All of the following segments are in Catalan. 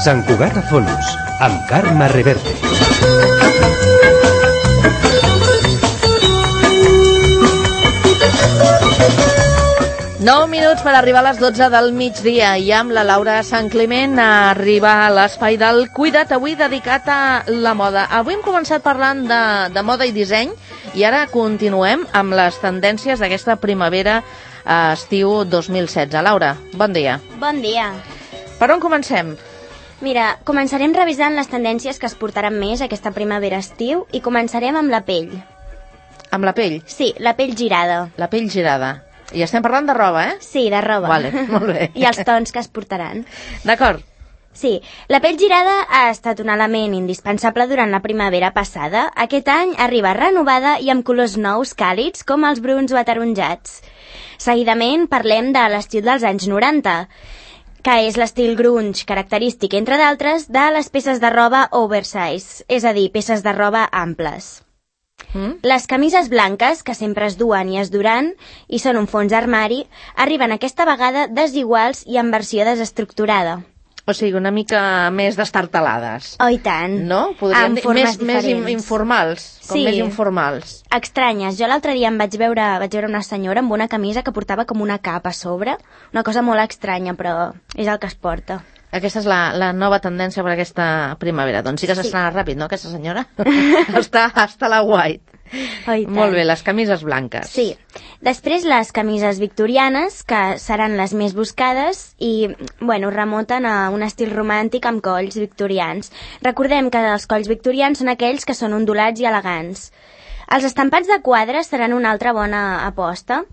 Sant Cugat a Fonos, amb Carme Reverte. Nou minuts per arribar a les 12 del migdia i amb la Laura Sant Climent arriba a l'espai del Cuida't, avui dedicat a la moda. Avui hem començat parlant de moda i disseny i ara continuem amb les tendències d'aquesta primavera-estiu 2016. Laura, bon dia. Bon dia. Per on comencem? Mira, començarem revisant les tendències que es portaran més aquesta primavera-estiu i començarem amb la pell. Amb la pell? Sí, la pell girada. La pell girada. I estem parlant de roba, eh? Sí, de roba. Vale, molt bé. I els tons que es portaran. D'acord. Sí, la pell girada ha estat un element indispensable durant la primavera passada. Aquest any arriba renovada i amb colors nous càlids com els bruns o ataronjats. Seguidament parlem de l'estil dels anys 90, que és l'estil grunge característic, entre d'altres, de les peces de roba oversize, és a dir, peces de roba amples. Les camises blanques, que sempre es duen i es duran, i són un fons d'armari, arriben aquesta vegada desiguals i en versió desestructurada. O sigui, una mica més destartalades. Oh, i tant. No? Podríem dir més informals. Com sí. Més informals. Estranyes. Jo l'altre dia em vaig veure una senyora amb una camisa que portava com una capa a sobre. Una cosa molt estranya, però és el que es porta. Aquesta és la nova tendència per aquesta primavera. Doncs sí que s'estrena ràpid, no, aquesta senyora? està a la white. Oh, molt bé, les camises blanques. Sí. Després les camises victorianes, que seran les més buscades i, bueno, remunten a un estil romàntic amb colls victorians. Recordem que els colls victorians són aquells que són ondulats i elegants. Els estampats de quadres seran una altra bona aposta,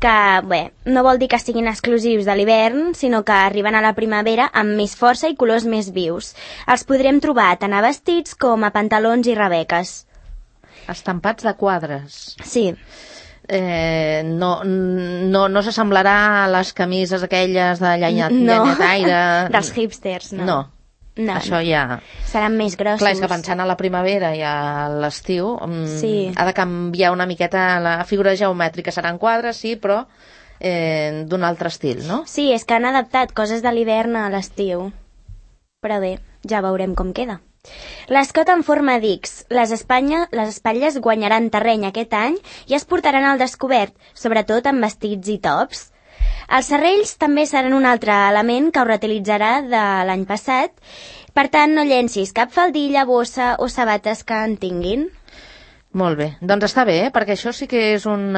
que, bé, no vol dir que siguin exclusius de l'hivern, sinó que arriben a la primavera amb més força i colors més vius. Els podrem trobar tant a vestits com a pantalons i rebeques. Estampats de quadres. Sí. No s'assemblarà a les camises aquelles de llenyataire. Dels hipsters, no. No, això ja... Seran més grossos. Clar, és que pensant a la primavera i a l'estiu, sí. Ha de canviar una miqueta la figura geomètrica. Seran quadres, sí, però d'un altre estil, no? Sí, és que han adaptat coses de l'hivern a l'estiu. Però bé, ja veurem com queda. L'escot en forma d'X. Les espatlles guanyaran terreny aquest any i es portaran al descobert, sobretot en vestits i tops. Els serrells també seran un altre element que ho reutilitzarà de l'any passat, per tant no llencis cap faldilla, bossa o sabates que en tinguin. Molt bé, doncs està bé, perquè això sí que és un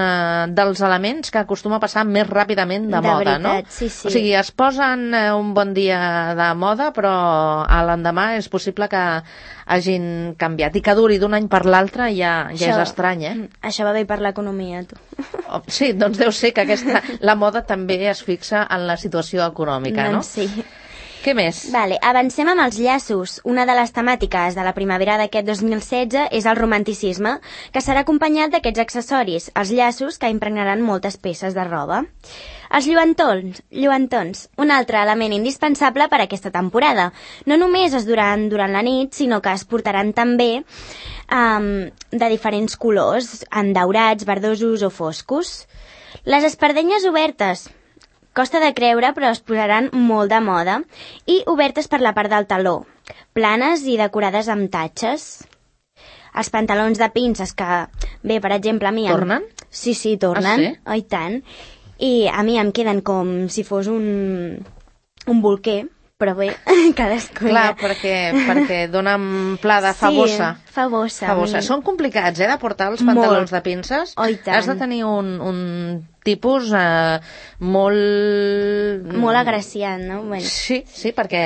dels elements que acostuma a passar més ràpidament de moda, veritat, no? Sí, sí. O sigui, es posen un bon dia de moda, però a l'endemà és possible que hagin canviat i que duri d'un any per l'altre ja és estrany, eh? Això va bé per l'economia, tu. Sí, doncs deu ser que la moda també es fixa en la situació econòmica, no? Doncs sí. Què més? Vale, avancem amb els llaços. Una de les temàtiques de la primavera d'aquest 2016 és el romanticisme, que serà acompanyat d'aquests accessoris, els llaços, que impregnaran moltes peces de roba. Els lluentons, un altre element indispensable per a aquesta temporada. No només es duran durant la nit, sinó que es portaran també de diferents colors, en daurats, verdosos o foscos. Les espardenyes obertes. Costa de creure, però es posaran molt de moda, i obertes per la part del taló, planes i decorades amb tatxes. Els pantalons de pinces, que, bé, per exemple, a mi... Tornen? Sí, tornen. Ah, sí? Oh, i tant. I a mi em queden com si fos un bolquer, però bé, cadascú... Clar, perquè donen plada, fa bossa. Sí, fa bossa. Són complicats, de portar els pantalons de pinces. Oh, i tant. Has de tenir un tipus molt... Molt agraciat, no? Bueno. Sí, perquè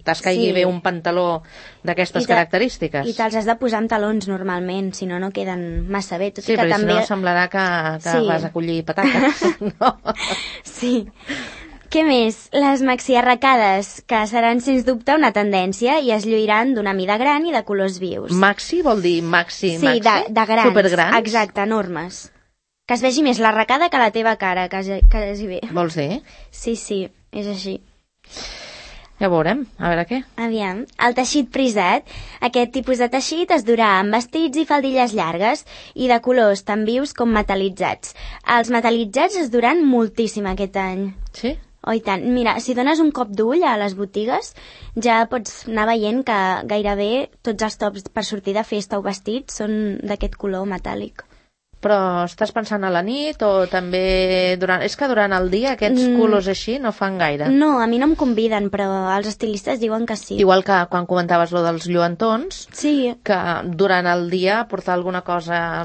t'escaigui bé un pantaló d'aquestes característiques. I te'ls has de posar amb talons normalment, si no, no queden massa bé. Sí, perquè si no semblarà que vas a collir patates. No? Sí. Què més? Les maxi-arracades, que seran sens dubte una tendència i es lluiran d'una mida gran i de colors vius. Maxi vol dir maxi? Sí, de grans. Supergrans? Exacte, enormes. Que es vegi més l'arracada que la teva cara, quasi bé. Vols dir? Sí, és així. Ja veurem, a veure què. Aviam, el teixit prisat. Aquest tipus de teixit es durà amb vestits i faldilles llargues i de colors tan vius com metal·litzats. Els metal·litzats es duran moltíssim aquest any. Sí? Oh, i tant. Mira, si dones un cop d'ull a les botigues, ja pots anar veient que gairebé tots els tops per sortir de festa o vestits són d'aquest color metàl·lic. Però estàs pensant a la nit o també durant... És que durant el dia aquests colors així no fan gaire. No, a mi no em conviden, però els estilistes diuen que sí. Igual que quan comentaves lo dels lluentons, sí, que durant el dia portar alguna cosa...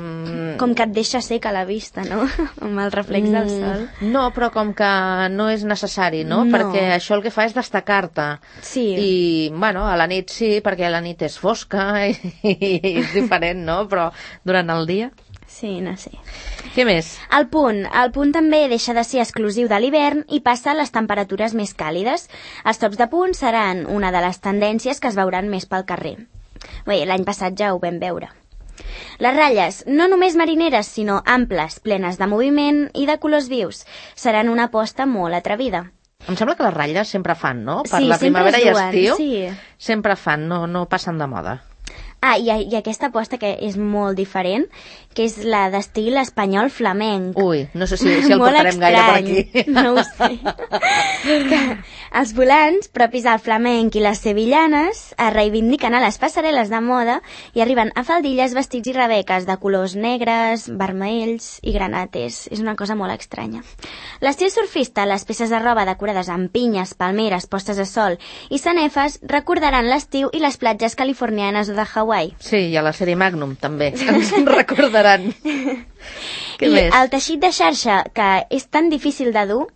Com que et deixa seca la vista, no? Amb el reflex del sol. No, però com que no és necessari, no? Perquè això el que fa és destacar-te. Sí. I, bueno, a la nit sí, perquè a la nit és fosca i és diferent, no? Però durant el dia... Sí, no sé. Què més? El punt també deixa de ser exclusiu de l'hivern i passa a les temperatures més càlides. Els tops de punt seran una de les tendències que es veuran més pel carrer. Bé, l'any passat ja ho vam veure. Les ratlles, no només marineres, sinó amples, plenes de moviment i de colors vius, seran una aposta molt atrevida. Em sembla que les ratlles sempre fan, no? Per sí, la primavera i estiu, sí. Sempre fan, no passen de moda. Ah, i aquesta aposta que és molt diferent, que és la d'estil espanyol flamenc. Ui, no sé si el portarem gaire per aquí. No ho sé. Els volants, propis al flamenc i les sevillanes, es reivindiquen a les passarel·les de moda i arriben a faldilles, vestits i rebeques de colors negres, vermells i granates. És una cosa molt estranya. L'estil surfista, les peces de roba decorades amb pinyes, palmeres, postes de sol i sanefes recordaran l'estiu i les platges californianes o de Hawaii. Sí, i a la sèrie Magnum també, ens recordaran. Què I més? el teixit de xarxa, que és tan difícil de dur,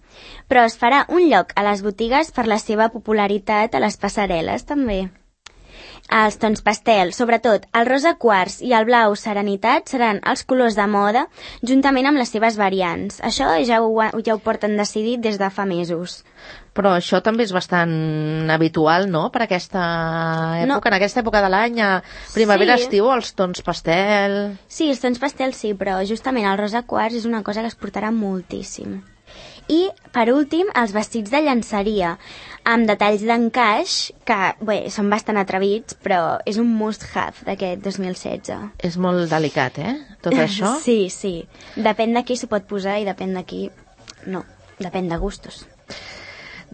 però es farà un lloc a les botigues per la seva popularitat a les passarel·les també. Els tons pastel, sobretot el rosa quars i el blau serenitat, seran els colors de moda juntament amb les seves variants. Això ja ho porten decidit des de fa mesos. Però això també és bastant habitual, no?, per aquesta època, en aquesta època de l'any, a primavera-estiu, els tons pastel... Sí, els tons pastel sí, però justament el rosa quars és una cosa que es portarà moltíssim. I, per últim, els vestits de llenceria, amb detalls d'encaix, que, bé, són bastant atrevits, però és un must-have d'aquest 2016. És molt delicat, tot això? Sí, sí. Depèn de qui s'ho pot posar i depèn de qui... No, depèn de gustos.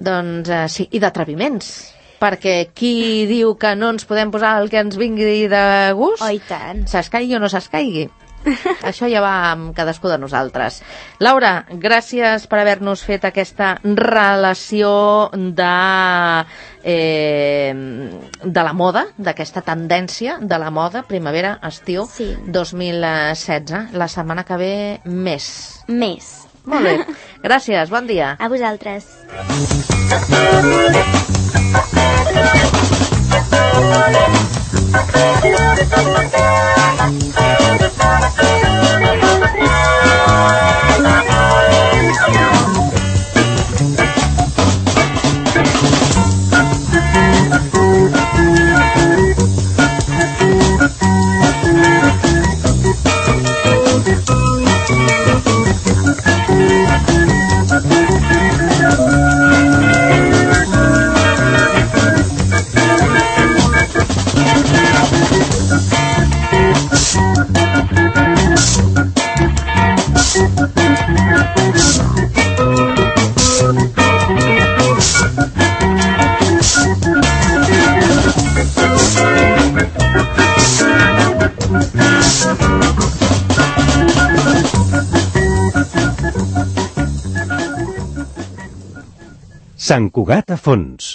Doncs sí, i d'atreviments, perquè qui diu que no ens podem posar el que ens vingui de gust, Oh, i tant. s'escaigui o no s'escaigui. Això ja va amb cadascú de nosaltres. Laura, gràcies per haver-nos fet aquesta relació de la moda, d'aquesta tendència de la moda primavera-estiu 2016. La setmana que ve més. Més. Molt bé. Gràcies, bon dia. A vosaltres. Sant Cugat a fons.